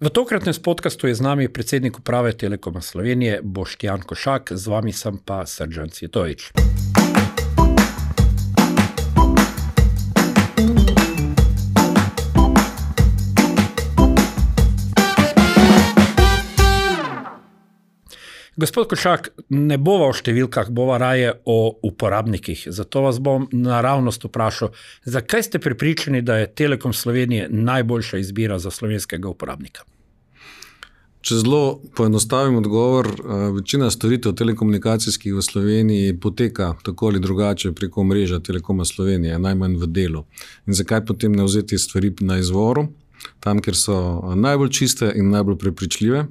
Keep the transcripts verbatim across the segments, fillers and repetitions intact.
V tokratnem podcastu je z nami predsednik uprave Telekoma Slovenije Boštjan Košak, z vami sem pa Srdžan Cvjetovič. Gospod Košak, ne bova o številkah, bova raje o uporabnikih. Zato vas bom naravnost vprašal, zakaj ste prepričani, da je Telekom Slovenije najboljša izbira za slovenskega uporabnika? Če zelo poenostavim odgovor, večina storitev telekomunikacijskih v Sloveniji poteka tako ali drugače preko mreža Telekoma Slovenije, najmanj v delu. In zakaj potem ne vzeti stvari na izvoru, tam, kjer so najbolj čiste in najbolj prepričljive?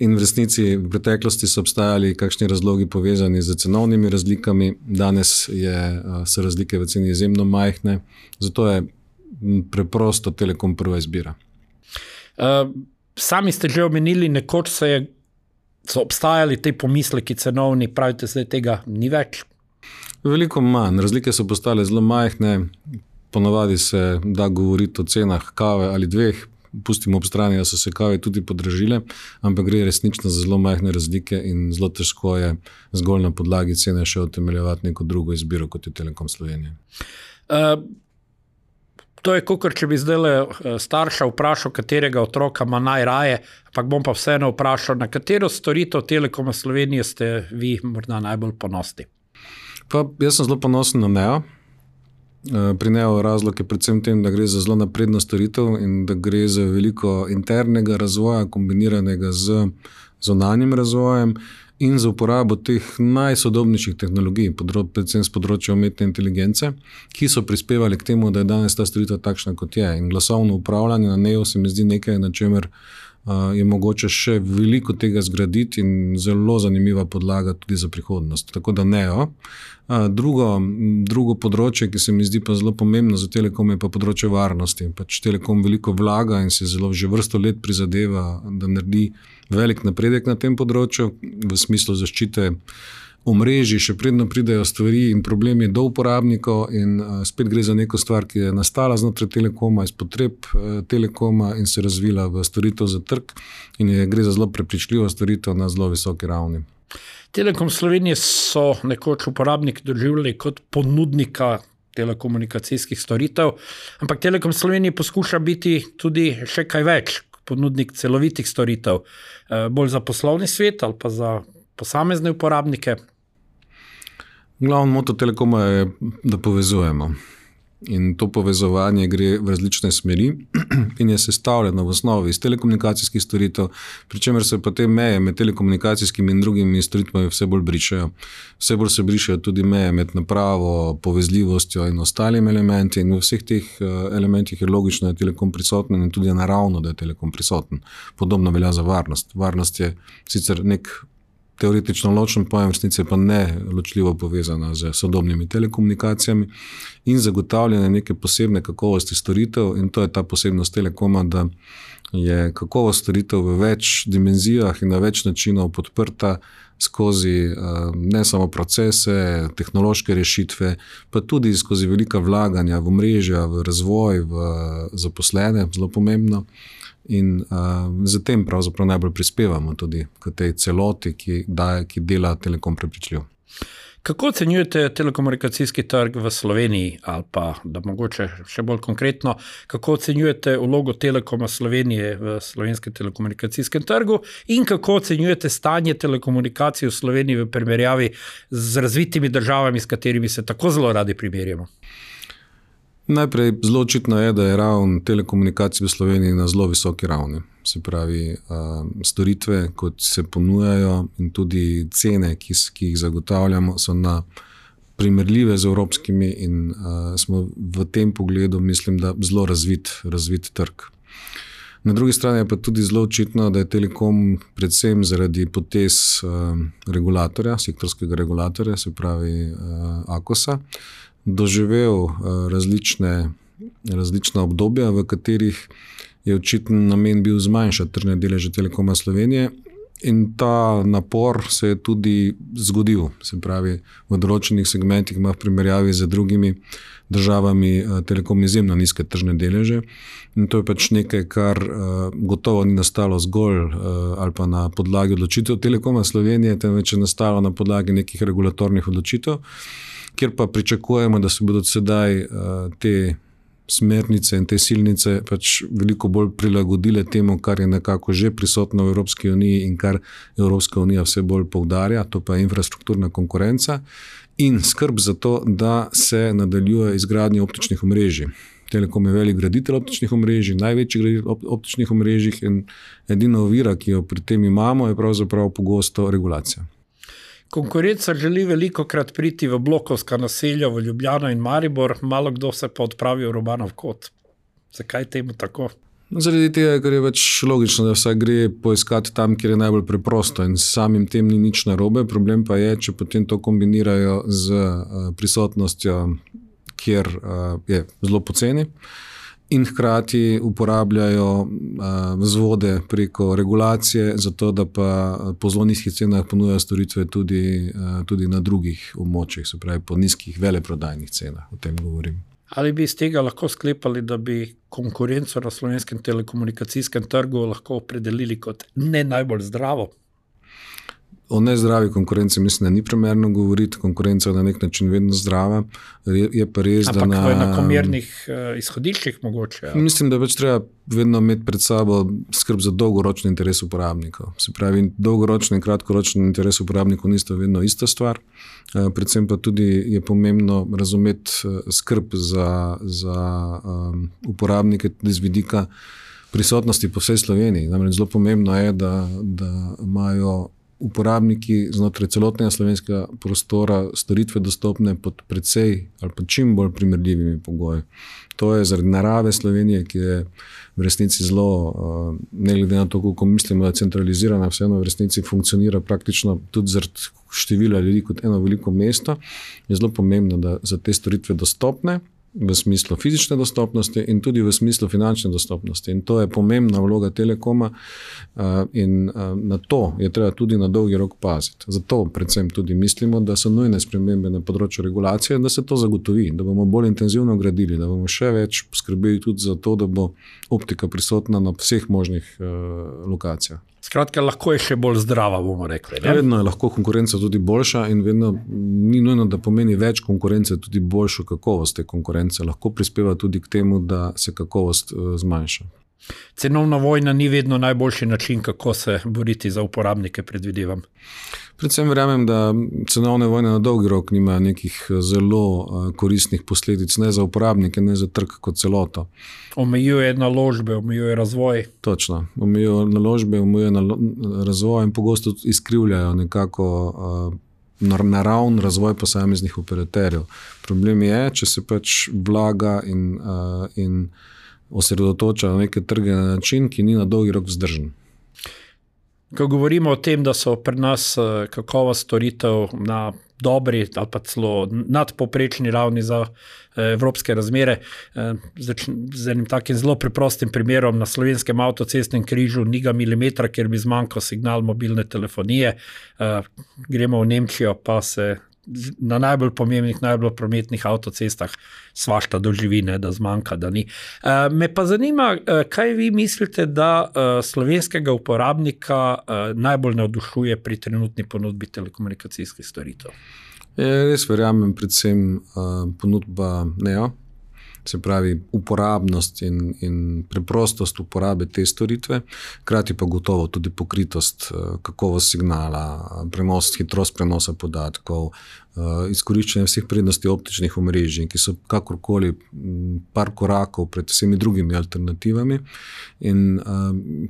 In v resnici v preteklosti so obstajali kakšni razlogi povezani z cenovnimi razlikami, danes je, so razlike v ceni izjemno majhne, zato je preprosto Telekom prva izbira. Uh, sami ste že omenili, nekoč se je, so obstajali te pomisleki cenovni, pravite, zdaj tega ni več? Veliko manj, razlike so postale zelo majhne, ponavadi se da govoriti o cenah kave ali dveh, pustimo ob strani, da so se kave tudi podražile, ampak gre resnično za zelo majhne razlike in zelo težko je zgolj na podlagi cene še utemeljevati neko drugo izbiro, kot je Telekom Slovenije. Uh, to je kakor, če bi zdaj starša vprašal, katerega otroka ima najraje, ampak bom pa vseeno vprašal, na katero storitev Telekoma Slovenije ste vi morda najbolj ponosni? Pa jaz sem zelo ponosen na Neo. Pri Neo razlog je predvsem tem, da gre za zelo napredno storitev in da gre za veliko internega razvoja, kombiniranega z zunanjim razvojem in za uporabo teh najsodobnejših tehnologij, predvsem z področja umetne inteligence, ki so prispevali k temu, da je danes ta storitev takšna, kot je. In glasovno upravljanje na Neo se mi zdi nekaj, na čemer je mogoče še veliko tega zgraditi in zelo zanimiva podlaga tudi za prihodnost. Tako da Neo. Drugo, drugo področje, ki se mi zdi pa zelo pomembno za Telekom, je pa področje varnosti. Pač Telekom veliko vlaga in se zelo že vrsto let prizadeva, da naredi velik napredek na tem področju v smislu zaščite omrežij, še predno pridejo stvari in problemi do uporabnikov in spet gre za neko stvar, ki je nastala znotraj Telekoma, iz potreb Telekoma in se razvila v storitev za trg in je, gre za zelo prepričljivo storitev na zelo visoki ravni. Telekom Slovenije so nekoč uporabnik doživljali kot ponudnika telekomunikacijskih storitev, ampak Telekom Slovenije poskuša biti tudi še kaj več, ponudnik celovitih storitev, bolj za poslovni svet ali pa za posamezne uporabnike. Glavno moto Telekoma je, da povezujemo. In to povezovanje gre v različne smeri in je sestavljeno v osnovi iz telekomunikacijskih storitev, pri čemer se pa te meje med telekomunikacijskimi in drugimi storitvami vse bolj brišejo. Vse bolj se brišejo tudi meje med napravo, povezljivostjo in ostalimi elementi in v vseh teh elementih je logično, da je Telekom prisoten in tudi je naravno, da je Telekom prisoten. Podobno velja za varnost. Varnost je sicer nek teoretično ločen pojem, v resnici pa ne ločljivo povezana z sodobnimi telekomunikacijami in zagotavljanje neke posebne kakovosti storitev in to je ta posebnost Telekoma, da je kakovost storitev v več dimenzijah in na več načinov podprta skozi ne samo procese, tehnološke rešitve, pa tudi skozi velika vlaganja v mrežja, v razvoj, v zaposlene, zelo pomembno. In uh, zatem pravzaprav najbolj prispevamo tudi k tej celoti, ki, daje, ki dela Telekom prepričljiv. Kako ocenjujete telekomunikacijski trg v Sloveniji ali pa, da mogoče še bolj konkretno, kako ocenjujete vlogo Telekoma Slovenije v slovenskem telekomunikacijskem trgu in kako ocenjujete stanje telekomunikacij v Sloveniji v primerjavi z razvitimi državami, s katerimi se tako zelo radi primerjamo? Najprej zelo očitno je, da je ravn telekomunikacij v Sloveniji na zelo visoki ravni. Se pravi, storitve, kot se ponujajo in tudi cene, ki, ki jih zagotavljamo, so na primerljive z evropskimi in a, smo v tem pogledu, mislim, da zelo razvit, razvit trg. Na drugi strani je pa tudi zelo očitno, da je Telekom predvsem zaradi potez a, regulatorja, sektorskega regulatorja, se pravi a, Akosa, doživel različne, različna obdobja, v katerih je očitno namen bil zmanjšati tržne deleže Telekoma Slovenije In ta napor se je tudi zgodil, se pravi, v določenih segmentih ima v primerjavi z drugimi državami Telekom izjemno nizke tržne deleže. In to je pač nekaj, kar gotovo ni nastalo zgolj ali pa na podlagi odločitev Telekoma Slovenije, temveč je nastalo na podlagi nekih regulatornih odločitev, kjer pa pričakujemo, da se bodo sedaj te smernice in te silnice pač veliko bolj prilagodile temu, kar je nekako že prisotno v Evropski uniji in kar Evropska unija vse bolj poudarja, to pa je infrastrukturna konkurenca in skrb za to, da se nadaljuje izgradnje optičnih omrežij. Telekom je velik graditelj optičnih omrežij, največji graditelj optičnih omrežij in edina ovira, ki jo pri tem imamo, je pravzaprav pogosto regulacija. Konkurenca želi veliko krat priti v blokovska naselja v Ljubljano in Maribor, malo kdo se pa odpravi v Robanov kot. Zakaj temu tako? Zaradi tega, ker je več logično, da vsak gre poiskati tam, kjer je najbolj preprosto in samim tem ni nič narobe. Problem pa je, če potem to kombinirajo z prisotnostjo, kjer je zelo poceni in hkrati uporabljajo vzvode preko regulacije, zato da pa po zelo nizkih cenah ponujajo storitve tudi, tudi na drugih območjih, se pravi po nizkih veleprodajnih cenah, o tem govorim. Ali bi iz tega lahko sklepali, da bi konkurenco na slovenskem telekomunikacijskem trgu lahko opredelili kot ne najbolj zdravo? O nezdravi konkurenci mislim, da ni primerno govoriti, konkurenca je na nek način vedno zdrava, je, je pa res, Ampak da na... Ampak v enakomernih uh, izhodiščih mogoče? Ja. Mislim, da več treba vedno imeti pred sabo skrb za dolgoročni interes uporabnikov. Se pravi, dolgoročni in kratkoročni interes uporabnikov nista vedno ista stvar, uh, predvsem pa tudi je pomembno razumeti uh, skrb za, za um, uporabnike tudi z vidika prisotnosti po vsej Sloveniji. Namreč zelo pomembno je, da, da imajo uporabniki znotraj celotnega slovenskega prostora storitve dostopne pod precej ali pa čim bolj primerljivimi pogoji. To je zaradi narave Slovenije, ki je v resnici zelo, ne glede na to, koliko mislimo, da je centralizirana, vseeno v resnici funkcionira praktično tudi zaradi števila ljudi kot eno veliko mesto, je zelo pomembno, da za te storitve dostopne v smislu fizične dostopnosti in tudi v smislu finančne dostopnosti. In to je pomembna vloga Telekoma in na to je treba tudi na dolgi rok paziti. Zato predvsem tudi mislimo, da so nujne spremembe na področju regulacije, da se to zagotovi, da bomo bolj intenzivno gradili, da bomo še več poskrbeli tudi za to, da bo optika prisotna na vseh možnih lokacijah. Skratka, lahko je še bolj zdrava, bomo rekli. Ne? Vedno je lahko konkurenca tudi boljša in vedno ni nujno, da pomeni več konkurence, tudi boljšo kakovost te konkurence. Lahko prispeva tudi k temu, da se kakovost zmanjša. Cenovna vojna ni vedno najboljši način, kako se boriti za uporabnike, predvidevam. Predvsem verjamem, da cenovne vojne na dolgi rok nimajo nekih zelo koristnih posledic, ne za uporabnike, ne za trg kot celoto. Omejuje naložbe, omejuje razvoj. Točno, omejuje naložbe, omejuje razvoj in pogosto izkrivljajo nekako naravn razvoj posameznih operaterjev. Problem je, če se pač vlaga in, in osredotoča na neke trge na način, ki ni na dolgi rok vzdržen. Ko govorimo o tem, da so pri nas kakovost storitev na dobri ali pa celo nadpovprečni ravni za evropske razmere, z enim takim zelo preprostim primerom na slovenskem avtocestnem križu ni ga milimetra, kjer bi zmanjkal signal mobilne telefonije. Gremo v Nemčijo, pa se na najbolj pomembnih, najbolj prometnih avtocestah svašta doživine, da zmanjka, da ni. Me pa zanima, kaj vi mislite, da slovenskega uporabnika najbolj navdušuje pri trenutni ponudbi telekomunikacijskih storitev? Res verjamem predvsem ponudba Neo, se pravi uporabnost in, in preprostost uporabe te storitve, hkrati pa gotovo tudi pokritost, kakovost signala, prenos, hitrost prenosa podatkov, izkoriščenje vseh prednosti optičnih omrežij, ki so kakorkoli par korakov pred vsemi drugimi alternativami. In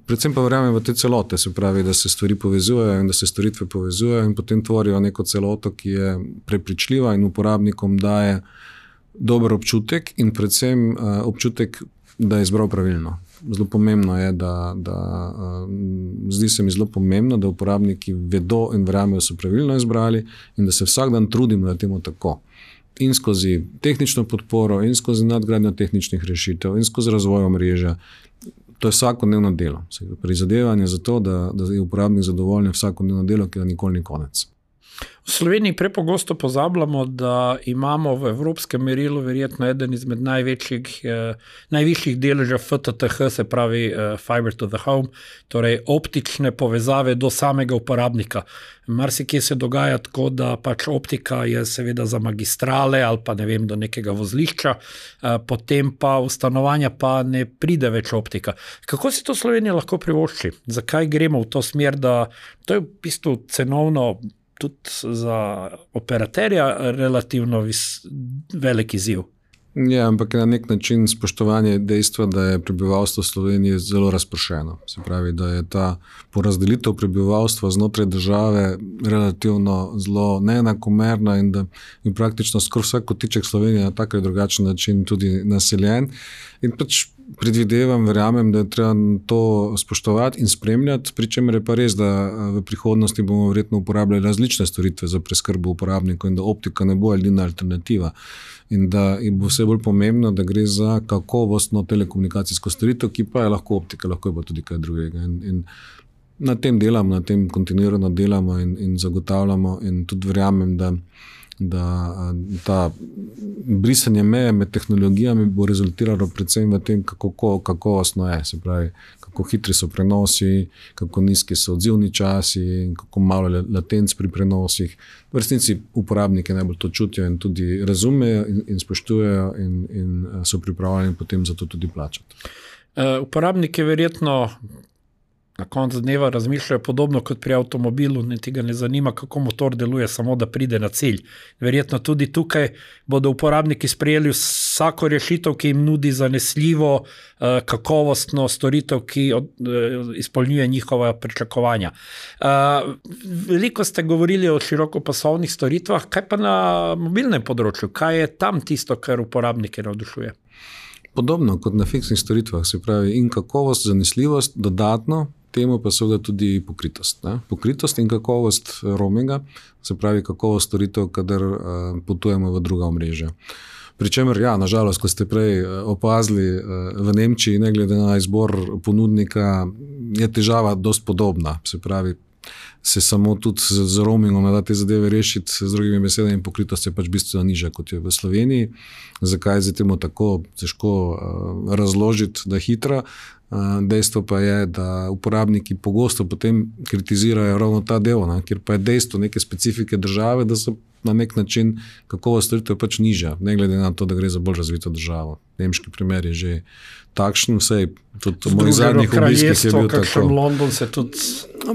predvsem pa verjamem v te celote, se pravi, da se stvari povezujejo in da se storitve povezujejo in potem tvorijo neko celoto, ki je prepričljiva in uporabnikom daje dober občutek in predvsem uh, občutek, da je izbral pravilno. Zelo pomembno je, da, da uh, zdi se mi zelo pomembno, da uporabniki vedo in verjamejo, da so pravilno izbrali in da se vsak dan trudimo, da temu tako. In skozi tehnično podporo, in skozi nadgradnjo tehničnih rešitev, in skozi razvoj omrežja. To je vsakodnevno delo. Prizadevanje za to, da, da je uporabnik zadovoljen vsakodnevno delo, ki ga nikoli ni konec. V Sloveniji prepogosto pozabljamo, da imamo v evropskem merilu verjetno eden izmed največjih, eh, najvišjih deležev F T T H, se pravi eh, Fiber to the Home, torej optične povezave do samega uporabnika. Marsikje se dogaja tako, da pač optika je seveda za magistrale ali pa ne vem, do nekega vozlišča, eh, potem pa v stanovanja pa ne pride več optika. Kako si to Slovenija lahko privošči? Zakaj gremo v to smer, da to je v bistvu cenovno tudi za operaterja relativno vis, velik izziv? Ja, ampak na nek način spoštovanje dejstva, da je prebivalstvo Slovenije zelo razpršeno. Se pravi, da je ta porazdelitev prebivalstva znotraj države relativno zelo neenakomerna in da je praktično skoraj vsak kotiček Slovenije na tak ali drugačen način tudi naseljen. In pač predvidevam, verjamem, da je treba to spoštovati in spremljati, pri čemer je pa res, da v prihodnosti bomo verjetno uporabljali različne storitve za preskrbo uporabnikov in da optika ne bo edina alternativa. In da bo vse bolj pomembno, da gre za kakovostno telekomunikacijsko storitev, ki pa je lahko optika, lahko je pa tudi kaj drugega. In, in na tem delamo, na tem kontinuirano delamo in, in zagotavljamo in tudi verjamem, da da ta brisanje meje med tehnologijami bo rezultiralo predvsem v tem, kako kakovostno je, se pravi, kako hitri so prenosi, kako nizki so odzivni časi in kako malo latenc pri prenosih. V resnici uporabniki najbolj to čutijo in tudi razumejo in, in spoštujejo in, in so pripravljeni potem za to tudi plačati. Uh, uporabniki verjetno na koncu dneva razmišljajo podobno kot pri avtomobilu, niti ga ne zanima, kako motor deluje, samo da pride na cilj. Verjetno tudi tukaj bodo uporabniki sprejeli vsako rešitev, ki jim nudi zanesljivo, kakovostno storitev, ki izpolnjuje njihova pričakovanja. Veliko ste govorili o širokopasovnih storitvah, kaj pa na mobilnem področju? Kaj je tam tisto, kar uporabnike navdušuje? Podobno kot na fiksnih storitvah, se pravi in kakovost, zanesljivost, dodatno, temu pa seveda tudi pokritost. Ne? Pokritost in kakovost roaminga, se pravi kakovost storitev, kadar uh, potujemo v druga omrežja. Pričemer, ja, nažalost, ko ste prej opazili uh, v Nemčiji, ne glede na izbor ponudnika, je težava dost podobna. Se pravi, se samo tudi z, z roamingom da te zadeve rešiti, z drugimi besedami pokritost je pač bistveno nižja, kot je v Sloveniji. Zakaj je temu tako težko uh, razložiti, da je hitra? Uh, dejstvo pa je, da uporabniki pogosto potem kritizirajo ravno ta del, ne, kjer pa je dejstvo neke specifike države, da so na nek način kakovost storitev pač nižja, ne glede na to, da gre za bolj razvito državo. Nemški primer je že takšen, vsej tudi v mojih zadnjih obiskih je bil tako. London se tudi...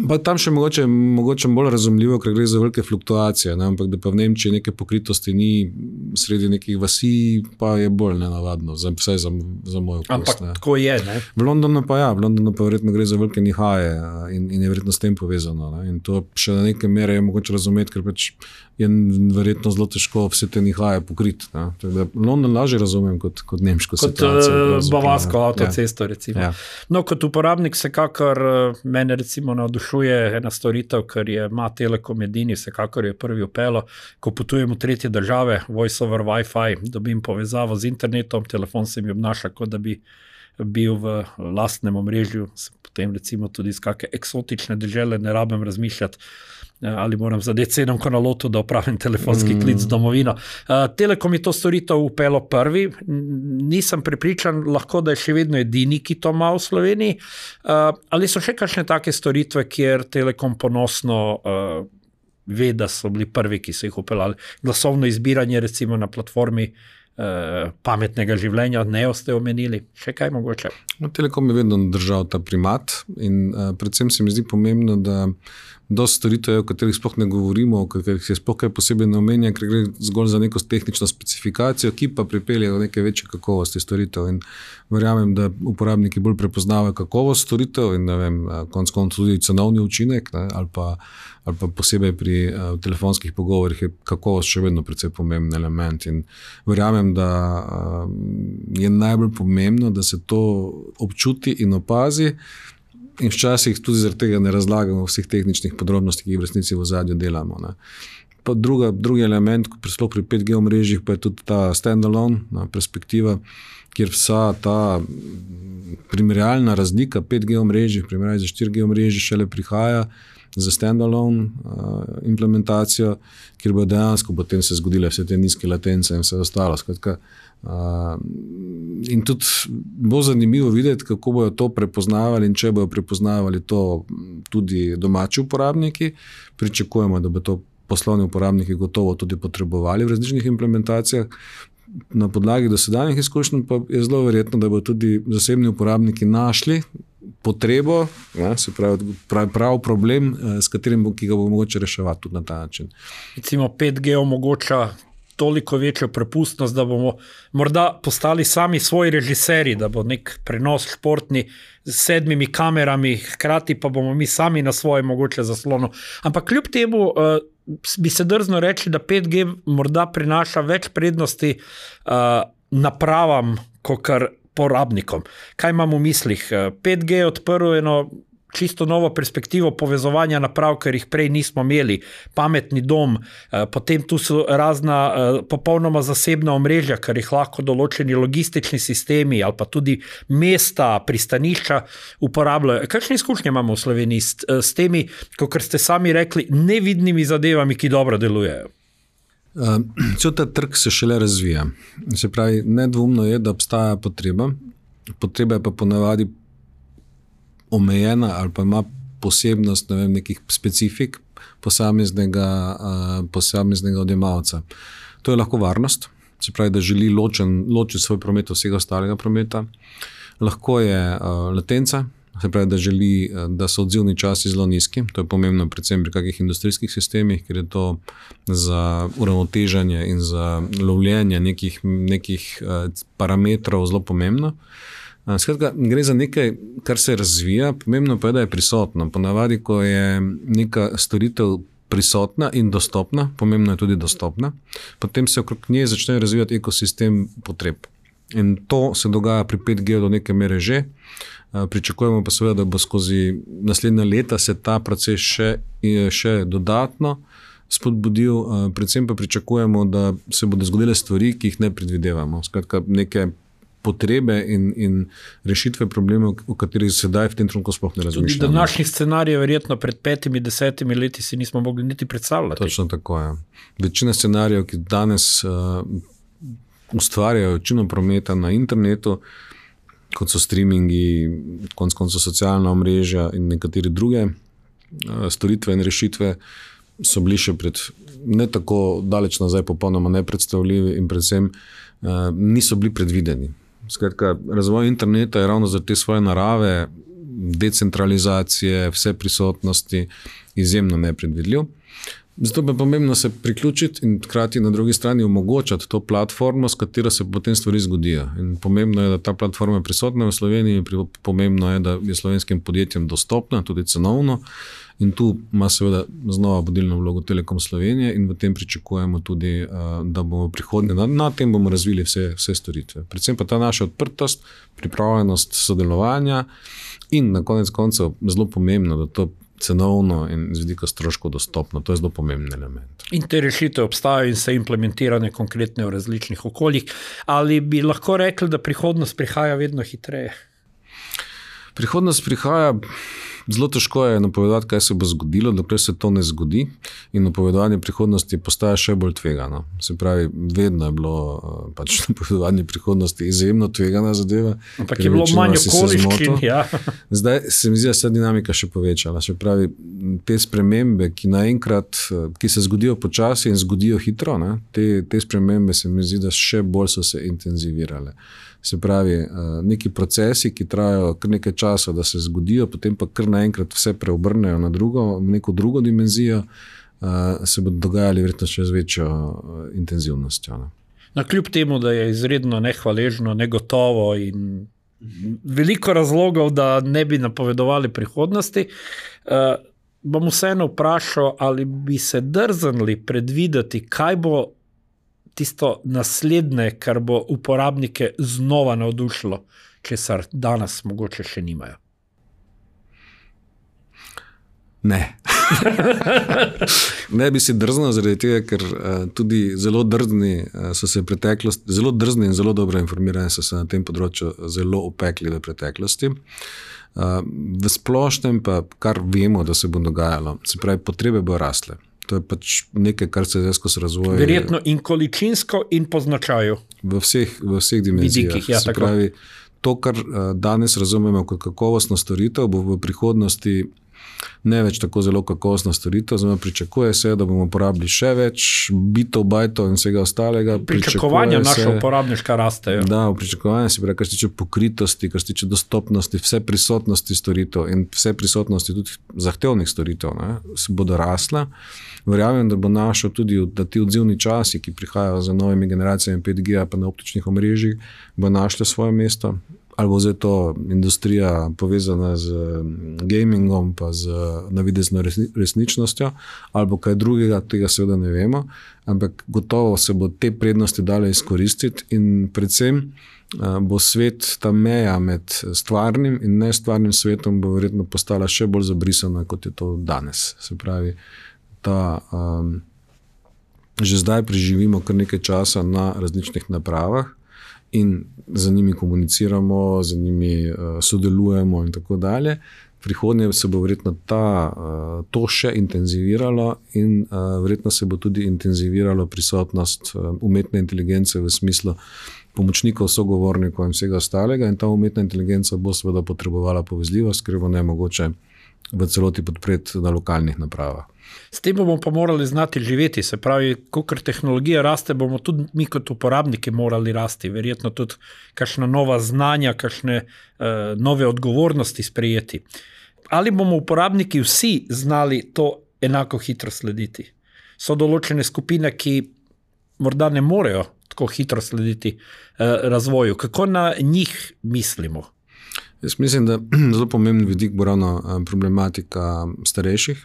Pa tam še mogoče, mogoče bolj razumljivo, ker gre za velike fluktuacije, ne? Ampak da pa v Nemčiji neke pokritosti ni sredi nekih vasi, pa je bolj nenavadno, za, vsaj za, za moj okus. Ampak ne? Tako je, ne? V Londonu pa ja, v Londonu pa verjetno gre za velike nihaje in, in je verjetno s tem povezano. Ne? In to še na neke mere je mogoče razumeti, ker pač je verjetno zelo težko vse te nihaje pokriti. Ne? Tako da London lažje razumem kot, kot nemško kot, situacijo. Kot bavarsko avtocesto, ja. Recimo. Ja. No, kot uporabnik vsekakor mene recimo navdušuje ena storitev, ker je ima Telekom edini, vsekakor je prvi upelo, ko potujem v tretje države, voice over Wi-Fi, dobim povezavo z internetom, telefon se mi obnaša, kot da bi bil v lastnem omrežju, potem recimo tudi iz kakšne eksotične dežele, ne rabim razmišljati, ali moram zadeti sedemko na lotu, da opravim telefonski mm. klic domovino. Uh, Telekom je to storitev upelo prvi, nisem prepričan, lahko da je še vedno edini, ki to ima v Sloveniji, uh, ali so še kakšne take storitve, kjer Telekom ponosno uh, ve, da so bili prvi, ki so jih upeljali. Glasovno izbiranje recimo na platformi uh, pametnega življenja, ne ste omenili, še kaj mogoče? No, Telekom je vedno držal ta primat in uh, predvsem se mi zdi pomembno, da dosti storitev, o katerih sploh ne govorimo, o katerih se sploh kaj posebej ne omenja, ker gre zgolj za neko tehnično specifikacijo, ki pa pripelje do neke večje kakovosti storitev. In verjamem, da uporabniki bolj prepoznavajo kakovost storitev in ne vem, konec koncev tudi cenovni učinek, ne, ali pa, ali pa posebej pri uh, telefonskih pogovorih je kakovost še vedno precej pomemben element. In verjamem, da uh, je najbolj pomembno, da se to občuti in opazi, in včasih tudi zaradi tega ne razlagamo vseh tehničnih podrobnosti, ki jih v resnici v ozadju delamo. Ne. pa druga, drugi element, sploh pri pet G omrežjih, pa je tudi ta standalone perspektiva, kjer vsa ta primerjalna razlika pet G omrežjih, primerjalno za štiri G omrežji šele prihaja za standalone uh, implementacijo, kjer bo dejansko potem se zgodile vse te nizke latence in vse ostalo. Skratka, uh, in tudi bo zanimivo videti, kako bojo to prepoznavali in če bojo prepoznavali to tudi domači uporabniki. Pričakujemo, da bo to poslovni uporabniki gotovo tudi potrebovali v različnih implementacijah. Na podlagi dosedanjih izkušenj pa je zelo verjetno, da bodo tudi zasebni uporabniki našli potrebo, ja, se pravi, prav, prav problem, s katerim bo, ki ga bo mogoče reševati tudi na ta način. Recimo pet G omogoča toliko večjo prepustnost, da bomo morda postali sami svoji režiserji, da bo nek prenos športni s sedmimi kamerami, hkrati pa bomo mi sami na svoje mogoče zaslonu. Ampak kljub temu uh, bi se drzno reči, da pet G morda prinaša več prednosti uh, napravam, kakor porabnikom. Kaj imam v mislih? pet G je odprl eno čisto novo perspektivo povezovanja naprav, ker jih prej nismo imeli. Pametni dom, potem tu so razna popolnoma zasebna omrežja, ker jih lahko določeni logistični sistemi ali pa tudi mesta, pristanišča uporabljajo. Kakšne izkušnje imamo v Sloveniji s, s temi, kot ste sami rekli, nevidnimi zadevami, ki dobro delujejo? Uh, cel ta trg se šele razvija. Se pravi, nedvomno je, da obstaja potreba. Potreba je pa ponavadi omejena ali pa ima posebnost, ne vem, nekih specifik posameznega, uh, posameznega odjemalca. To je lahko varnost, se pravi, da želi ločen, ločiti svoj promet od vsega ostalega prometa. Lahko je uh, latenca, se pravi, da želi, da so odzivni časi zelo nizki. To je pomembno predvsem pri kakih industrijskih sistemih, ker je to za uravnoteženje in za lovljenje nekih, nekih parametrov zelo pomembno. Skratka, gre za nekaj, kar se razvija, pomembno pa je, da je prisotno. Ponavadi, ko je neka storitev prisotna in dostopna, pomembno je tudi dostopna, potem se okrog nje začne razvijati ekosistem potreb. In to se dogaja pri pet G do neke mere že. Pričakujemo pa seveda, da bo skozi naslednja leta se ta proces še, še dodatno spodbudil. Predvsem pa pričakujemo, da se bodo zgodile stvari, ki jih ne predvidevamo. Skratka, neke potrebe in, in rešitve problemov, o katerih sedaj v tem trenutku sploh ne razmišljamo. Tudi današnjih scenarijev verjetno pred petimi, desetimi leti si nismo mogli niti predstavljati. Točno tako je. Večina scenarijev, ki danes uh, ustvarjajo večino prometa na internetu, kot so streamingi, konc koncev socialna omrežja in nekateri druge storitve in rešitve, so bili še pred ne tako daleč nazaj popolnoma nepredstavljivi in predvsem niso bili predvideni. Skratka, razvoj interneta je ravno za te svoje narave, decentralizacije, vse prisotnosti izjemno nepredvidljiv. Zato pa je pomembno se priključiti in hkrati na drugi strani omogočati to platformo, s katero se potem stvari zgodijo. In pomembno je, da ta platforma je prisotna v Sloveniji, pomembno je, da je slovenskim podjetjem dostopna, tudi cenovno. In tu ima seveda znova vodilno vlogo Telekom Slovenije in v tem pričakujemo tudi, da bomo prihodnje, na, na tem bomo razvili vse, vse storitve. Predvsem pa ta naša odprtost, pripravljenost sodelovanja in na konec koncev zelo pomembno, da to cenovno in z vidika stroškov dostopno. To je zelo pomemben element. In te rešitve obstajajo in so implementirane konkretne v različnih okoljih. Ali bi lahko rekli, da prihodnost prihaja vedno hitreje? Prihodnost prihaja, zelo težko je napovedati, kaj se bo zgodilo, dokler se to ne zgodi in napovedovanje prihodnosti postaja še bolj tvegano. Se pravi, vedno je bilo pač napovedovanje prihodnosti izjemno tvegana zadeva. Ampak je bilo manj okoliščin, ja. Zdaj se mi zdi, da se dinamika še povečala. Se pravi, te spremembe, ki naenkrat, ki se zgodijo počasi in zgodijo hitro, ne, te, te spremembe se mi zdi, da še bolj so se intenzivirale. Se pravi, neki procesi, ki trajajo kar nekaj časa, da se zgodijo, potem pa kar naenkrat vse preobrnejo na drugo, neko drugo dimenzijo, se bodo dogajali verjetno še z večjo intenzivnostjo. Na kljub temu, da je izredno nehvaležno, negotovo in veliko razlogov, da ne bi napovedovali prihodnosti, bom vseeno vprašal, ali bi se drznili predvideti, kaj bo tisto naslednje, kar bo uporabnike znova navdušilo, česar danes mogoče še nimajo. Ne. Ne bi si drznil zaradi tega, ker uh, tudi zelo drzni uh, so se preteklosti, zelo drzni in zelo dobro informirani so se na tem področju zelo opekli v preteklosti. Uh, v splošnem pa, kar vemo, da se bo dogajalo, se pravi, potrebe bo rasle. To je pač nekaj, kar se zdaj skozi razvoj. Verjetno in količinsko in po značaju. V vseh, v vseh dimenzijah. Vidikih, ja, se tako. pravi, to, kar uh, danes razumemo kot kakovostno storitev, bo v prihodnosti ne več tako zelo kakovostna storitev, zdaj pričakuje se, da bomo uporabili še več bitov, bajtov in vsega ostalega. Pričakovanja naša uporabniška rastejo. Da, v pričakovanju se pravi, kar se tiče pokritosti, kar se tiče dostopnosti, vse prisotnosti storitev in vse prisotnosti tudi zahtevnih storitev, ne, se bodo rasla. Verjamem, da bo našel tudi, da ti odzivni časi, ki prihajajo za novimi generacijami pet G pa na optičnih omrežjih, bo našli svoje mesto. Ali bo zdaj to industrija povezana z gamingom pa z navidezno resničnostjo, ali bo kaj drugega, tega seveda ne vemo, ampak gotovo se bo te prednosti dale izkoristiti in predvsem bo svet, ta meja med stvarnim in nestvarnim svetom bo verjetno postala še bolj zabrisana, kot je to danes. Se pravi, ta, um, že zdaj preživimo kar nekaj časa na različnih napravah, in za njimi komuniciramo, za njimi uh, sodelujemo in tako dalje. Prihodnje se bo verjetno ta, uh, to še intenziviralo in uh, verjetno se bo tudi intenziviralo prisotnost uh, umetne inteligence v smislu pomočnikov, sogovornikov in vsega ostalega in ta umetna inteligenca bo seveda potrebovala povezljivost, ker bo nemogoče v celoti podpreti na lokalnih napravah. S tem bomo pa morali znati živeti, se pravi, kakor tehnologija raste, bomo tudi mi kot uporabniki morali rasti, verjetno tudi kakšna nova znanja, kakšne uh, nove odgovornosti sprejeti. Ali bomo uporabniki vsi znali to enako hitro slediti? So določene skupine, ki morda ne morejo tako hitro slediti uh, razvoju. Kako na njih mislimo? Jaz mislim, da zelo pomemben vidik bo ravno problematika starejših,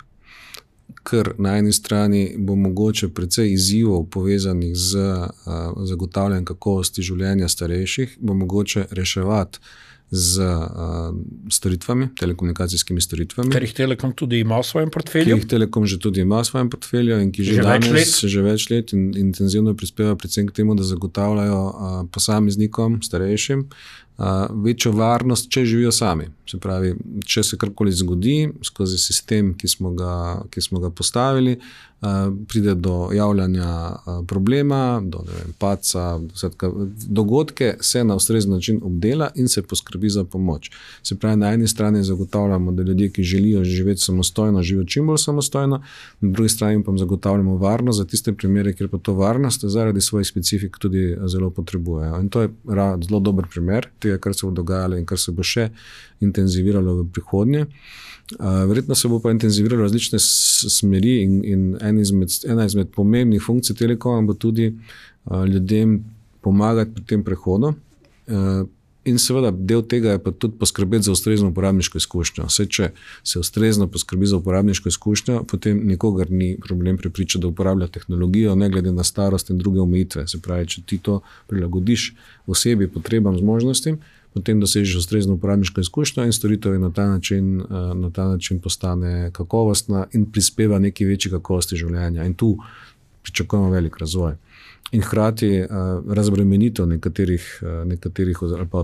ker na eni strani bo mogoče precej izzivov povezanih z uh, zagotavljanjem kakovosti življenja starejših, bo mogoče reševati z uh, storitvami, telekomunikacijskimi storitvami. Ker jih Telekom tudi ima v svojem portfelju. Ki jih Telekom že tudi ima v svojem portfelju in ki že, že danes več že več let in intenzivno prispeva predvsem k temu, da zagotavljajo uh, posameznikom, starejšim, Uh, večjo varnost, če živijo sami. Se pravi, če se karkoli zgodi skozi sistem, ki smo ga, ki smo ga postavili, uh, pride do javljanja uh, problema, do ne vem, paca, vsetka, dogodke se na ustrezen način obdela in se poskrbi za pomoč. Se pravi, na eni strani zagotavljamo, da ljudje, ki želijo živeti samostojno, živijo čim bolj samostojno, na drugi strani pa zagotavljamo varnost za tiste primere, kjer pa to varnost zaradi svojih specifik tudi zelo potrebujejo. In to je zelo dober primer tega, kar se bo dogajalo in kar se bo še intenziviralo v prihodnje. Uh, verjetno se bo pa intenziviralo različne smeri in, in en izmed, ena izmed pomembnih funkcij Telekoma bo tudi uh, ljudem pomagati pri tem prehodu. Uh, in seveda del tega je pa tudi poskrbeti za ustrezno uporabniško izkušnjo. Vse, če se ustrezno poskrbi za uporabniško izkušnjo, potem nikogar ni problem prepričati, da uporablja tehnologijo, ne glede na starost in druge omejitve. Se pravi, če ti to prilagodiš osebi, potrebam, zmožnostim, potem dosežeš ustrezno uporabniško izkušnjo in storitev na ta način, na ta način postane kakovostna in prispeva neki večji kakovosti življenja. In tu pričakujemo velik razvoj. In hkrati uh, razbremenitev nekaterih, uh, nekaterih ali pa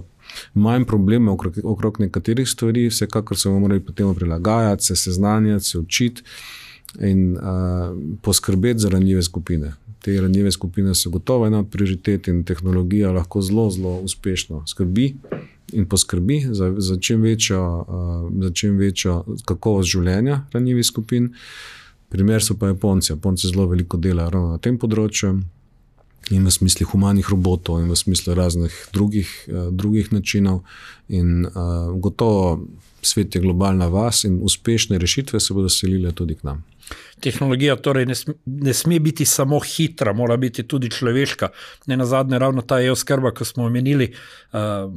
manj problema okrog, okrog nekaterih stvari, vsekakor se bomo morali potem prilagajati, se seznanjati, se učiti in uh, poskrbeti za ranljive skupine. Te ranljive skupine so gotovo ena prioritet in tehnologija lahko zelo, zelo uspešno skrbi in poskrbi za, za, čim večjo, uh, za čim večjo kakovost življenja ranljivih skupin. Primer so pa Japonci. Japonci zelo veliko delajo ravno na tem področju. In v smislu humanih robotov in v smislu raznih drugih, uh, drugih načinov in uh, gotovo svet je globalna vas in uspešne rešitve se bodo selile tudi k nam. Tehnologija torej ne sme, ne sme biti samo hitra, mora biti tudi človeška. Ne nazadnje ravno ta e-oskrba, ko smo omenili, uh,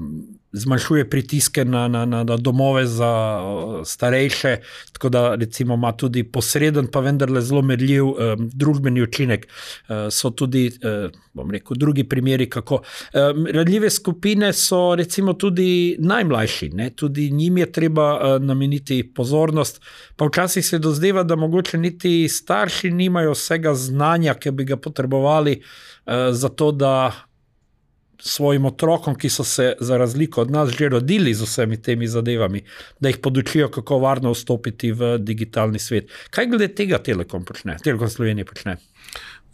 zmanjšuje pritiske na, na, na, na domove za uh, starejše, tako da recimo ima tudi posreden, pa vendarle zelo merljiv um, družbeni učinek. Uh, so tudi, uh, bom rekel, drugi primeri, kako. Um, ranljive skupine so recimo tudi najmlajši, ne? Tudi njim je treba treba nameniti pozornost. Pa včasih se dozdeva, da mogoče niti starši nimajo vsega znanja, ki bi ga potrebovali za to, da svojim otrokom, ki so se za razliko od nas že rodili z vsemi temi zadevami, da jih podučijo, kako varno vstopiti v digitalni svet. Kaj glede tega Telekom počne? Telekom Slovenije počne?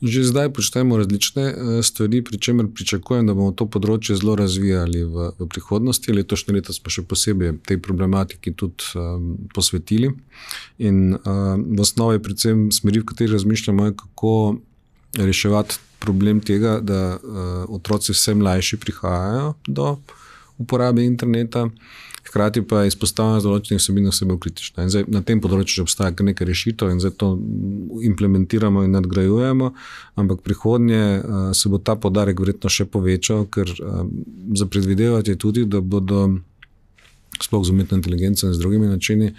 Že zdaj počnemo različne stvari, pri čemer pričakujem, da bomo to področje zelo razvijali v, v prihodnosti. Letošnje leto smo še posebej tej problematiki tudi um, posvetili. In um, v osnovi predvsem smeri, v kateri razmišljamo, kako reševati problem tega, da uh, otroci vse mlajši prihajajo do uporabe interneta, hkrati pa izpostavljanje določenih vsebin osebej kritična. In zdaj na tem področju že obstaja kar nekaj rešitev in zdaj to implementiramo in nadgrajujemo, ampak prihodnje uh, se bo ta poudarek verjetno še povečal, ker uh, za predvidevati je tudi, da bodo sploh z umetno inteligenco in z drugimi načini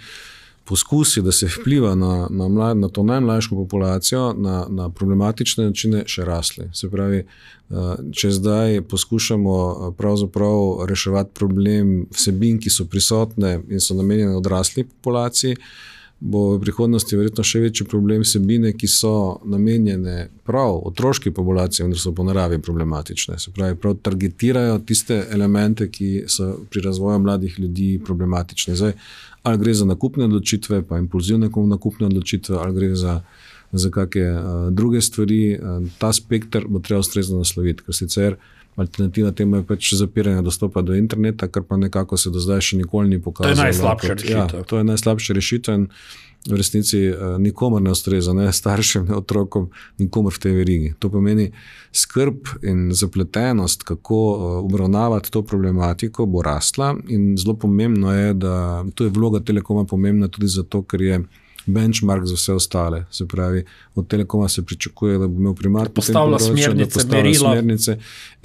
poskusi, da se vpliva na, na, mlad, na to najmlajšo populacijo, na, na problematične načine še rasli. Se pravi, če zdaj poskušamo pravzaprav reševati problem vsebin, ki so prisotne in so namenjene odrasli populaciji, bo v prihodnosti verjetno še večji problem vsebine, ki so namenjene prav otroški populaciji, vendar so po naravi problematične. Se pravi, prav targetirajo tiste elemente, ki so pri razvoju mladih ljudi problematični. Zdaj, ali gre za nakupne odločitve, pa impulzivne nakupne odločitve, ali gre za, za kakšne uh, druge stvari. Uh, ta spektr bo treba ustrezno nasloviti, ker sicer alternativa temu je pač zapiranje dostopa do interneta, kar pa nekako se do zdaj še nikoli ni pokazalo. To je najslabša rešitev. Ja, to je najslabša rešitev in v resnici uh, nikomor ne ustreza, ne staršem, ne otrokom, nikomor v tej verigi. To pomeni skrb in zapletenost, kako uh, obravnavati to problematiko, bo rasla in zelo pomembno je, da tu je vloga Telekoma pomembna tudi zato, ker je benchmark za vse ostale. Se pravi, od Telekoma se pričakuje, da bo imel primat, postavlja smernice, da postavlja smernice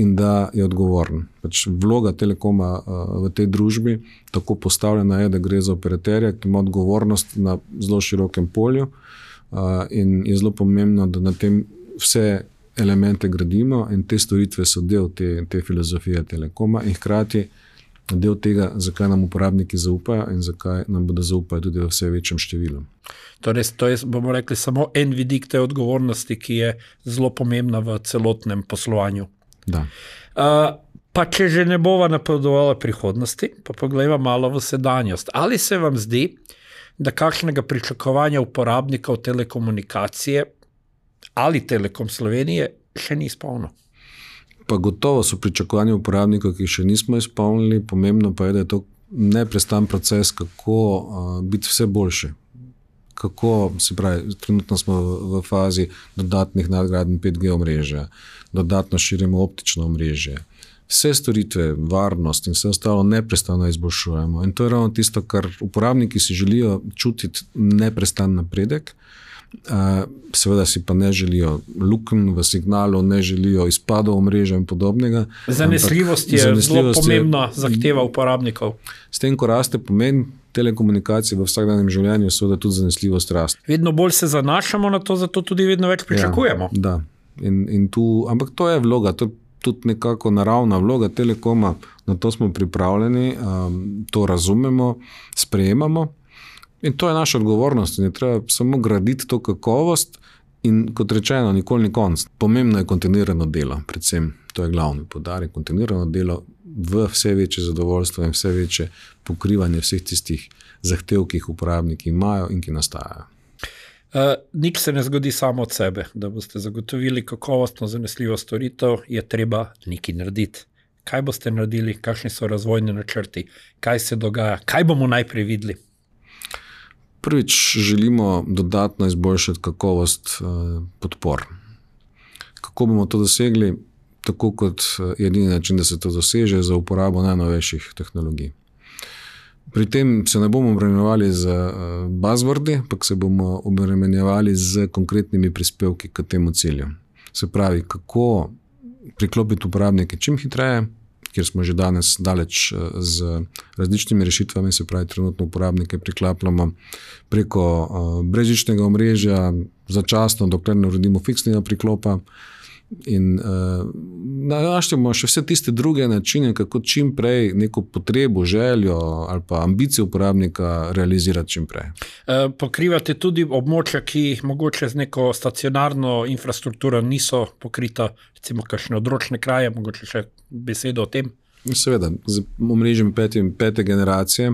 in da je odgovoren. Pač vloga Telekoma uh, v tej družbi tako postavljena je, da gre za operaterja, ki ima odgovornost na zelo širokem polju uh, in je zelo pomembno, da na tem vse elemente gradimo in te storitve so del te, te filozofije Telekoma in hkrati del tega, zakaj nam uporabniki zaupajo in zakaj nam bodo zaupali tudi v vse večjem številu. Torej, to je, bomo rekli, samo en vidik te odgovornosti, ki je zelo pomembna v celotnem poslovanju. Da. Uh, pa če že ne bova napovedovala prihodnosti, pa pogledava malo v sedanjost. Ali se vam zdi, da kakšnega pričakovanja uporabnikov telekomunikacije ali Telekom Slovenije še ni izpolnilo? Pa gotovo so pričakovanja uporabnikov, ki še nismo izpolnili, pomembno pa je, da je to neprestan proces, kako uh, biti vse boljše. Kako, se pravi, trenutno smo v, v fazi dodatnih nadgradenj pet G omrežja, dodatno širimo optično omrežje. Vse storitve, varnost in vse ostalo neprestano izboljšujemo. In to je ravno tisto, kar uporabniki si želijo čutiti neprestan napredek. Uh, seveda si pa ne želijo lukenj v signalu, ne želijo izpadov omrežja in podobnega. Zanesljivost je zelo pomembna zahteva uporabnikov. S tem, ko raste pomen telekomunikacije v vsakdanjem življenju, seveda tudi zanesljivost raste. Vedno bolj se zanašamo na to, zato tudi vedno več pričakujemo. Ja, da. In, in tu, ampak to je vloga, to je tudi nekako naravna vloga Telekoma, na to smo pripravljeni, um, to razumemo, sprejemamo. In to je naša odgovornost in je treba samo graditi to kakovost in kot rečeno, nikoli ni konc. Pomembno je kontinuirano delo, predvsem to je glavni poudarek, kontinuirano delo v vse večje zadovoljstvo in vse večje pokrivanje vseh tistih zahtev, ki jih uporabniki imajo in ki nastajajo. Uh, nič se ne zgodi samo od sebe. Da boste zagotovili kakovostno zanesljivo storitev, je treba nekaj narediti. Kaj boste naredili, kakšni so razvojni načrti, kaj se dogaja, kaj bomo najprej videli? Prvič želimo dodatno izboljšati kakovost uh, podpor. Kako bomo to dosegli? Tako kot edini način, da se to doseže, za uporabo najnovejših tehnologij. Pri tem se ne bomo obremenjevali z uh, buzzwordi, ampak se bomo obremenjevali z konkretnimi prispevki k temu cilju. Se pravi, kako priklopiti uporabnike čim hitreje, kjer smo že danes daleč z različnimi rešitvami, se pravi, trenutno uporabnike priklapljamo preko uh, brezžičnega omrežja, začasno, dokler ne uredimo fiksnega priklopa. In uh, našljamo še vse tiste druge načine, kako čim prej neko potrebo, željo ali pa ambicijo uporabnika realizirati čim prej. E, pokrivate tudi območja, ki mogoče z neko stacionarno infrastrukturo niso pokrita, recimo kakšne odročne kraje, mogoče še besedo o tem? Seveda, z omrežjem pete, pete generacije,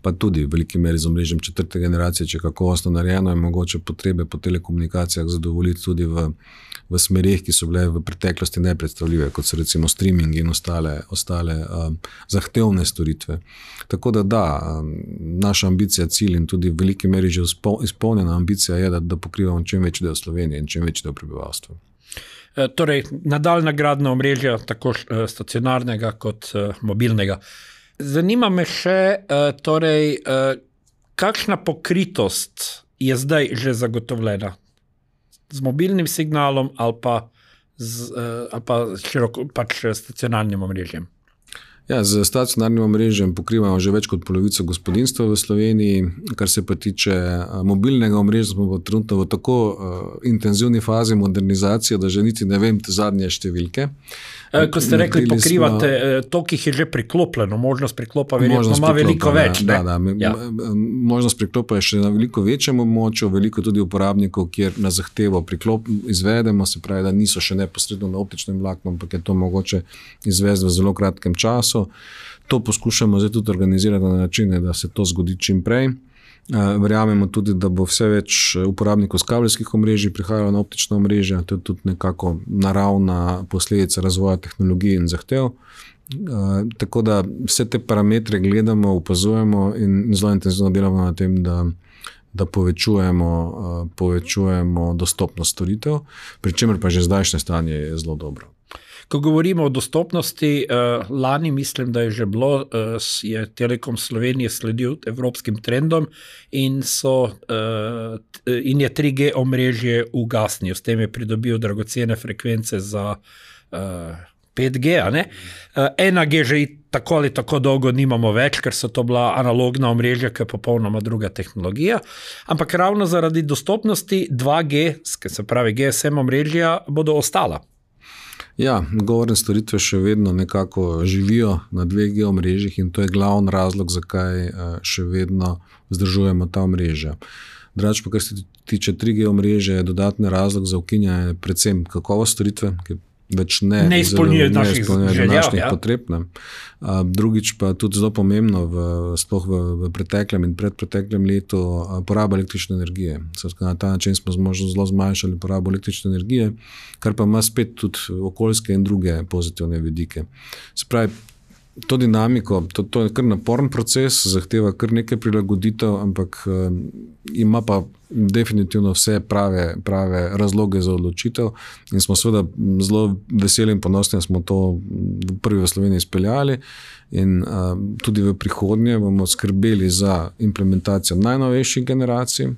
pa tudi v veliki meri z omrežjem četrte generacije, če kakovostno narejeno, je mogoče potrebe po telekomunikacijah zadovoljiti tudi v, v smerih, ki so bile v preteklosti nepredstavljive, kot so recimo streaming in ostale, ostale um, zahtevne storitve. Tako da da, um, naša ambicija, cilj in tudi v veliki meri že izpolnjena ambicija je, da, da pokrivamo čim večji del Slovenije in čim večji del prebivalstva. Torej, nadaljna gradnja omrežja, tako stacionarnega kot mobilnega. Zanima me še, torej, kakšna pokritost je zdaj že zagotovljena z mobilnim signalom ali pa z ali pa široko, pač stacionarnim omrežjem? Ja, z stacionarnim omrežjem pokrivamo že več kot polovico gospodinjstva v Sloveniji. Kar se pa tiče mobilnega omrežja, smo pa trenutno v tako uh, intenzivni fazi modernizacije, da že niti ne vem te zadnje številke. E, ko ste rekli, pokrivate smo, to, ki je že priklopljeno, možnost priklopa verjetno ima veliko več. Da, da, ja. Možnost priklopa je še na veliko večjem območju, veliko tudi uporabnikov, kjer na zahtevo priklop izvedemo, se pravi, da niso še neposredno na optičnem vlaknu, ampak je to mogoče izvesti v zelo kratkem času. To poskušamo zdaj tudi organizirati na načine, da se to zgodi čim prej. Verjamemo tudi, da bo vse več uporabnikov s kabelskih omrežij prihajalo na optična omrežja. To je tudi nekako naravna posledica razvoja tehnologij in zahtev. Tako da vse te parametre gledamo, opazujemo in zelo intenzivno delamo na tem, da, da povečujemo, povečujemo dostopnost storitev, pri čemer pa že zdajšnje stanje je zelo dobro. Ko govorimo o dostopnosti, lani mislim, da je že bilo, je Telekom Slovenije sledil evropskim trendom in, so, in je tri G omrežje ugasnil. S tem je pridobil dragocene frekvence za pet G. A ne? ena G že tako ali tako dolgo nimamo več, ker so to bila analogna omrežja, ki je popolnoma druga tehnologija. Ampak ravno zaradi dostopnosti dva G, se pravi G S M omrežja, bodo ostala. Ja, govorne storitve še vedno nekako živijo na dveh G omrežjih in to je glavni razlog, zakaj še vedno vzdržujemo ta omrežja. Drugače pa, kar se tiče tri G omrežja, je dodatni razlog za ukinjanje predvsem kakovost storitve, ki več ne, ne izpolnjuje naših željav, ja. potreb. Ne. Drugič pa tudi zelo pomembno, v, sploh v, v preteklem in predpreteklem letu, poraba električne energije. Na ta način smo zmožno zelo zmanjšali porabo električne energije, kar pa ima spet tudi okoljske in druge pozitivne vidike. Se pravi, to dinamiko, to, to je kar naporen proces, zahteva kar nekaj prilagoditev, ampak um, ima pa definitivno vse prave, prave razloge za odločitev in smo seveda zelo veseli in ponosni, da smo to prvi v Sloveniji izpeljali in um, tudi v prihodnje bomo skrbeli za implementacijo najnovejših generacij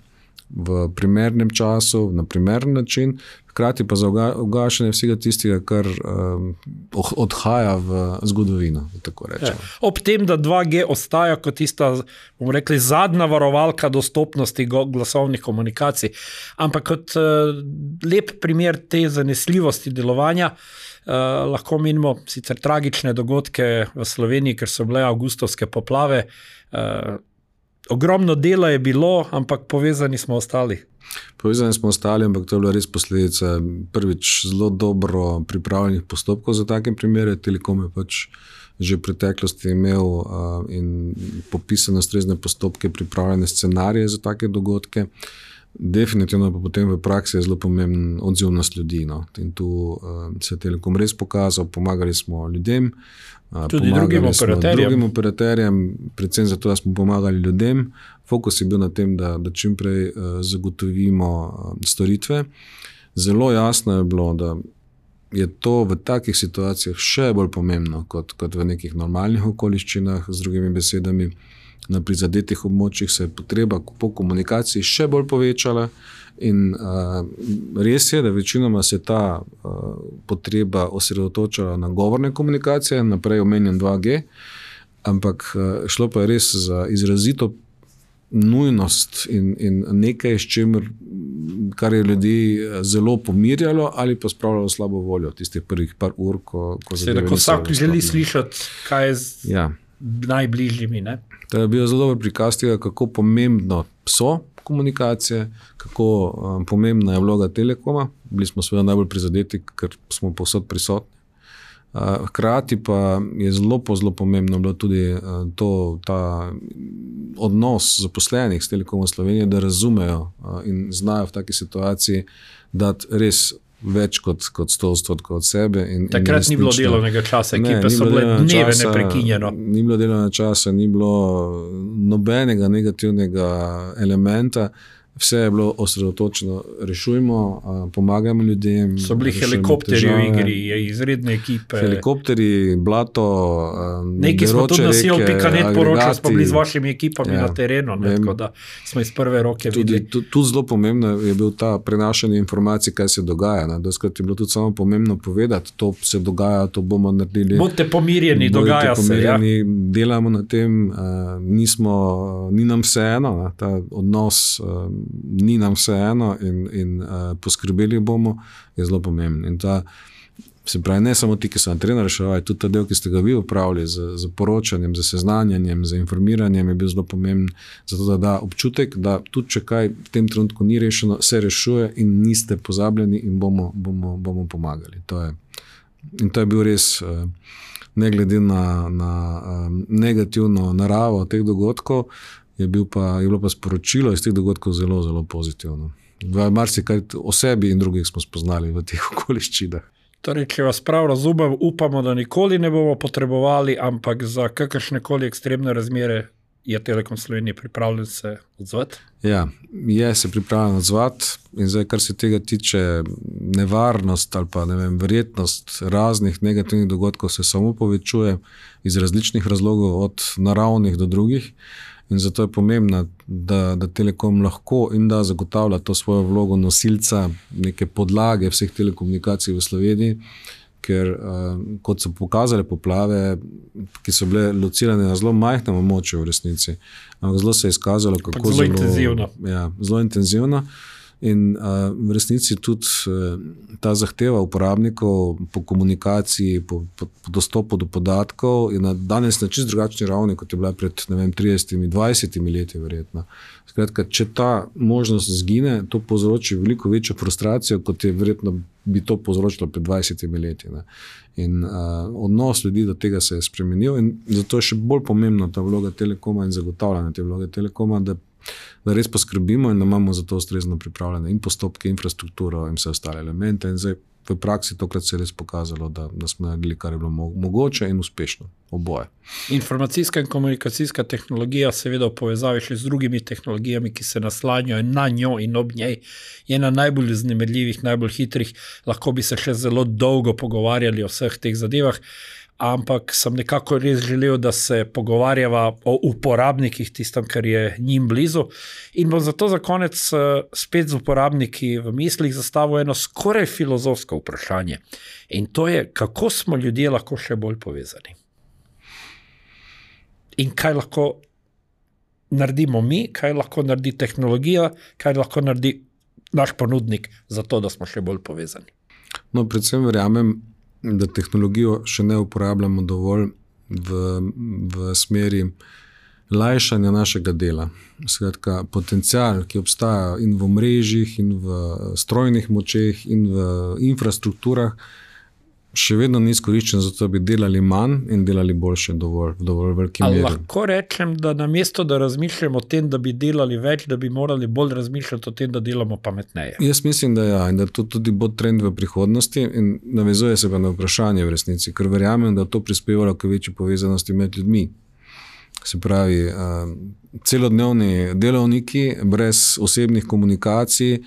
v primernem času, na primeren način, hkrati pa za ugašanje vsega tistega, kar um, odhaja v zgodovino, tako rečemo. Ja. Ob tem, da dva G ostaja kot tista, bomo rekli, zadnja varovalka dostopnosti glasovnih komunikacij, ampak kot uh, lep primer te zanesljivosti delovanja, uh, lahko menimo sicer tragične dogodke v Sloveniji, ker so bile avgustovske poplave. Uh, ogromno dela je bilo, ampak povezani smo ostali. Povezani smo ostali, ampak to je bila res posledica prvič zelo dobro pripravljenih postopkov za take primere. Telekom je pač že v preteklosti imel uh, in popisane ustrezne postopke, pripravljene scenarije za take dogodke. Definitivno pa potem v praksi je zelo pomemben odzivnost ljudi. No. In tu uh, se je Telekom res pokazal, pomagali smo ljudem, uh, tudi drugim operaterjem. drugim operaterjem, predvsem zato, da smo pomagali ljudem. Fokus je bil na tem, da, da čim prej uh, zagotovimo uh, storitve. Zelo jasno je bilo, da je to v takih situacijah še bolj pomembno kot, kot v nekih normalnih okoliščinah, z drugimi besedami. Na prizadetih območjih se je potreba po komunikaciji še bolj povečala in uh, res je, da večinoma se ta uh, potreba osredotočala na govorne komunikacije, naprej omenjen dva G, ampak uh, šlo pa je res za izrazito nujnost in, in nekaj, s čimer kar je ljudi zelo pomirjalo ali pa spravljalo slabo voljo tistih prvih par ur, ko, ko Seveda, ko vsak želi slišati, kaj je z ja. najbližjimi. Ne? To je bil zelo dober prikaz tega, kako pomembno so komunikacije, kako um, pomembna je vloga Telekoma. Bili smo seveda najbolj prizadeti, ker smo povsod prisotni. Uh, hkrati pa je zelo, zelo pomembno bilo tudi uh, to, ta odnos zaposlenih s Telekomom Slovenije, da razumejo uh, in znajo v taki situaciji dati res več kot, kot sto odstotkov od sebe. In, Takrat in ni bilo delovnega časa, ekipe so bile dneve časa, neprekinjeno. Ni bilo delovnega časa, ni bilo nobenega negativnega elementa. Vse je bilo osredotočeno, rešujmo, pomagamo ljudem. So bili helikopteri v igri, izredne ekipe. Helikopteri, blato, neki smo tudi na sil pika net poročali, smo bili z vašimi ekipami ja, na terenu, ne, tako da smo iz prve roke tudi, videli. Tudi tu zelo pomembno je bil ta prenašanje informacij, kaj se dogaja. Doskrat je bilo tudi samo pomembno povedati, to se dogaja, to bomo naredili. Bodite pomirjeni, dogaja pomirjeni, se. Ja. Delamo na tem, nismo, ni nam vseeno, ta odnos ni nam vseeno in, in uh, poskrbeli bomo, je zelo pomembno. In ta, se pravi, ne samo ti, ki so na terenu reševali, tudi ta del, ki ste ga vi upravili z, z poročanjem, z seznanjanjem, z informiranjem, je bil zelo pomemben, zato da da občutek, da tudi če kaj v tem trenutku ni rešeno, se rešuje in niste pozabljeni in bomo, bomo, bomo pomagali. To je, in to je bil res, uh, ne glede na, na um, negativno naravo teh dogodkov, Je, bil pa, je bilo pa sporočilo iz teh dogodkov zelo, zelo pozitivno. Marsikaj o sebi in drugih smo spoznali v teh okoliščinah. Torej, če vas prav razumem, upamo, da nikoli ne bomo potrebovali, ampak za kakršnekoli ekstremne razmere je Telekom Slovenije pripravljen se odzvati? Ja, je se pripravljen odzvati in zdaj, kar se tega tiče, nevarnost ali pa ne vem, verjetnost raznih negativnih dogodkov se samo povečuje iz različnih razlogov, od naravnih do drugih. In zato je pomembno, da, da Telekom lahko in da zagotavlja to svojo vlogo nosilca neke podlage vseh telekomunikacij v Sloveniji, ker kot so pokazale poplave, ki so bile locirane na zelo majhnem območju v resnici, ampak zelo se je izkazalo, kako zelo, zelo intenzivno. Ja, zelo intenzivno. In uh, v resnici tudi uh, ta zahteva uporabnikov po komunikaciji, po, po, po dostopu do podatkov je na danes na čisto drugačni ravni, kot je bila pred ne vem, tridesetimi, dvajsetimi leti verjetno. Skratka, če ta možnost zgine, to povzroči veliko večjo frustracijo, kot je verjetno bi to povzročilo pred dvajsetimi leti. Ne. In uh, odnos ljudi do tega se je spremenil in zato je še bolj pomembna ta vloga Telekoma in zagotavljanje te vloge Telekoma, da da res poskrbimo in da imamo za to ustrezno pripravljene in postopke, infrastrukturo in vse ostale elemente. In zdaj v praksi tokrat se je res pokazalo, da, da smo naredili, kar je bilo mogoče in uspešno, oboje. Informacijska in komunikacijska tehnologija, seveda v povezavi še z drugimi tehnologijami, ki se naslanjajo na njo in ob njej, je ena najbolj vznemirljivih, najbolj hitrih. Lahko bi se še zelo dolgo pogovarjali o vseh teh zadevah, ampak sem nekako res želel, da se pogovarjava o uporabnikih, tistem, kar je njim blizu. In bom zato za konec spet z uporabniki v mislih zastavil eno skoraj filozofsko vprašanje. In to je, kako smo ljudje lahko še bolj povezani. In kaj lahko naredimo mi, kaj lahko naredi tehnologija, kaj lahko naredi naš ponudnik za to, da smo še bolj povezani. No, predvsem verjamem, da tehnologijo še ne uporabljamo dovolj v, v smeri lajšanja našega dela. Skratka, potencial, ki obstaja in v mrežjih, in v strojnih močeh, in v infrastrukturah, še vedno ni izkoriščen, zato bi delali manj in delali boljše dovolj, v dovolj veliki meri. Lahko rečem, da namesto, da razmišljamo o tem, da bi delali več, da bi morali bolj razmišljati o tem, da delamo pametneje. Jaz mislim, da ja, in da to tudi bo trend v prihodnosti in navezuje se pa na vprašanje v resnici, ker verjamem, da to prispevalo k večji povezanosti med ljudmi. Se pravi, celodnevni delovniki brez osebnih komunikacij,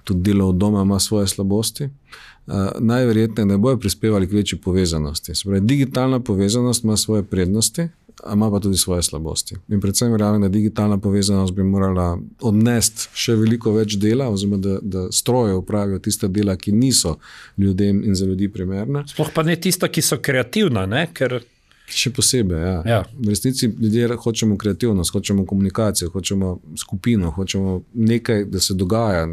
tudi delo od doma ima svoje slabosti, Uh, najverjetneje ne bojo prispevali k večji povezanosti. Se pravi, digitalna povezanost ima svoje prednosti, a ima pa tudi svoje slabosti. In predvsem verjamem, da digitalna povezanost bi morala odnesti še veliko več dela, oziroma da, da stroje upravijo tista dela, ki niso ljudem in za ljudi primerna. Sploh pa ne tista, ki so kreativna, ne? Ker Še posebej, ja. Ja. V resnici ljudje hočemo kreativnost, hočemo komunikacijo, hočemo skupino, hočemo nekaj, da se dogaja.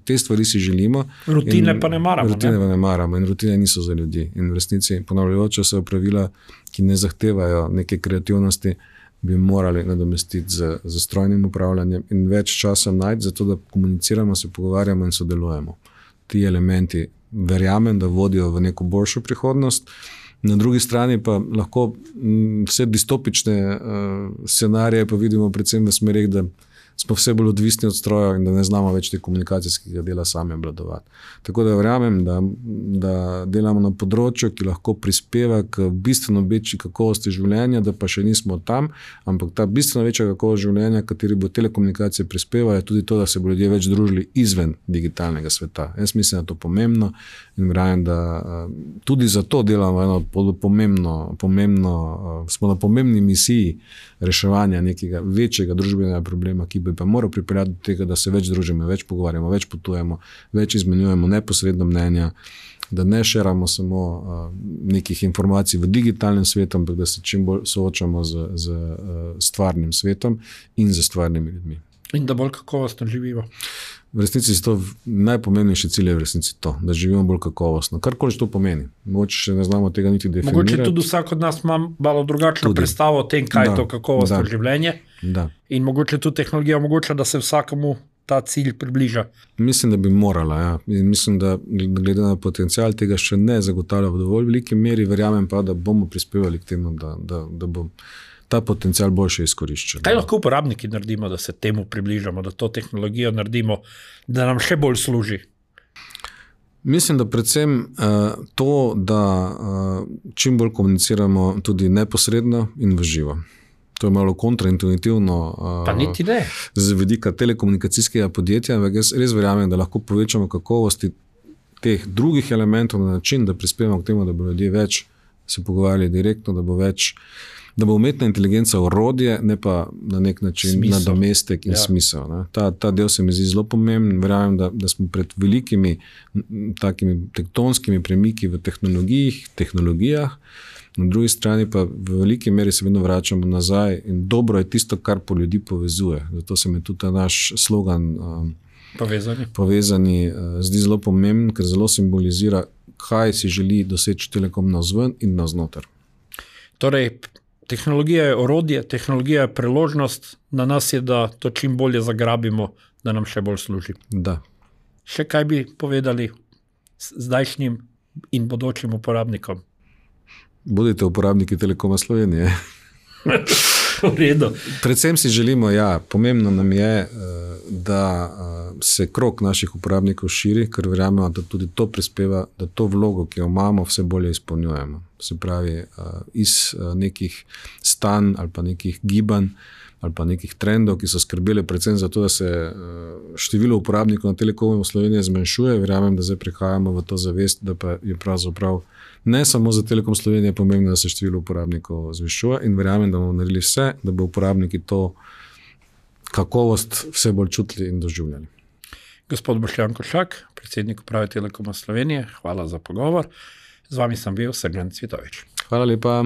Te stvari si želimo. Rutine pa ne maramo. Rutine ne? pa ne maramo in rutine niso za ljudi. In v resnici ponavljajoče se pravila, ki ne zahtevajo neke kreativnosti, bi morali nadomestiti z, z strojnim upravljanjem in več časa najti za to, da komuniciramo, se pogovarjamo in sodelujemo. Ti elementi verjamem, da vodijo v neko boljšo prihodnost. Na drugi strani pa lahko vse distopične uh, scenarije pa vidimo predvsem v smerih, da smo vse bolj odvisni od strojev in da ne znamo več te komunikacijskega dela sami obvladovati. Tako da verjamem, da, da delamo na področju, ki lahko prispeva k bistveno večji kakovosti življenja, da pa še nismo tam, ampak ta bistveno večja kakovost življenja, kateri bo telekomunikacije prispeva, je tudi to, da se bo ljudje več družili izven digitalnega sveta. Jaz mislim, da je to pomembno in verjamem, da tudi zato delamo eno pomembno, pomembno, smo na pomembni misiji reševanja nekega večjega družbenega problema, ki bi pa moral pripeljati do tega, da se več družimo, več pogovarjamo, več potujemo, več izmenjujemo neposredno mnenja, da ne šeramo samo uh, nekih informacij v digitalnem svetu, ampak da se čim bolj soočamo z, z uh, stvarnim svetom in z stvarnimi ljudmi. In da bolj kakovostno živimo. V resnici je to najpomembnejši cilj, je v resnici to, da živimo bolj kakovostno. Karkoli to pomeni. Mogoče še ne znamo tega niti definirati. Mogoče tudi vsak od nas ima malo drugačno tudi predstavo o tem, kaj da, je to kakovostno da, življenje. Da. In mogoče tudi tehnologija omogoča, da se vsakemu ta cilj približa. Mislim, da bi morala. Ja. In mislim, da glede na potencial tega še ne zagotavlja v dovolj veliki meri. Verjamem pa, da bomo prispevali k temu, da, da, da bo ta potencial boljše izkoriščen. Kaj lahko uporabniki naredimo, da se temu približamo, da to tehnologijo naredimo, da nam še bolj služi? Mislim, da predvsem uh, to, da uh, čim bolj komuniciramo tudi neposredno in v živo. To je malo kontraintuitivno uh, z vidika telekomunikacijskega podjetja, ampak jaz res verjamem, da lahko povečamo kakovosti teh drugih elementov na način, da prispevamo k temu, da bo ljudje več se pogovarjali direktno, da bo več da bo umetna inteligenca orodje, ne pa na nek način nadomestek in ja. smisel. Ne. Ta, ta del se mi zdi zelo pomemben. Verjamem, da, da smo pred velikimi takimi tektonskimi premiki v tehnologijah, tehnologijah, na drugi strani pa v veliki meri se vedno vračamo nazaj in dobro je tisto, kar po ljudi povezuje. Zato se mi tudi ta naš slogan um, povezani, povezani uh, zdi zelo pomemben, ker zelo simbolizira, kaj si želi doseči Telekom navzven in navznoter. Torej, tehnologija je orodje, tehnologija je priložnost, na nas je, da to čim bolje zagrabimo, da nam še bolj služi. Da. Še kaj bi povedali zdajšnjim in bodočim uporabnikom? Budite uporabniki Telekoma Slovenije. V redu. Predvsem si želimo, ja, pomembno nam je, da se krog naših uporabnikov širi, ker verjamemo, da tudi to prispeva, da to vlogo, ki jo imamo, vse bolje izpolnjujemo. Se pravi, iz nekih stanj ali pa nekih gibanj ali pa nekih trendov, ki so skrbeli predvsem za to, da se število uporabnikov na Telekomu v Sloveniji zmanjšuje. Verjamem, da zdaj prihajamo v to zavest, da pa je pravzaprav ne samo za Telekom Slovenije pomembno, da se število uporabnikov zvišuje in verjamem, da bomo naredili vse, da bo uporabniki to kakovost vse bolj čutili in doživljali. Gospod Boštjan Košak, predsednik uprave Telekoma Slovenije, hvala za pogovor. Z vami sem bil Sergen Cvitovič. Hvala lepa.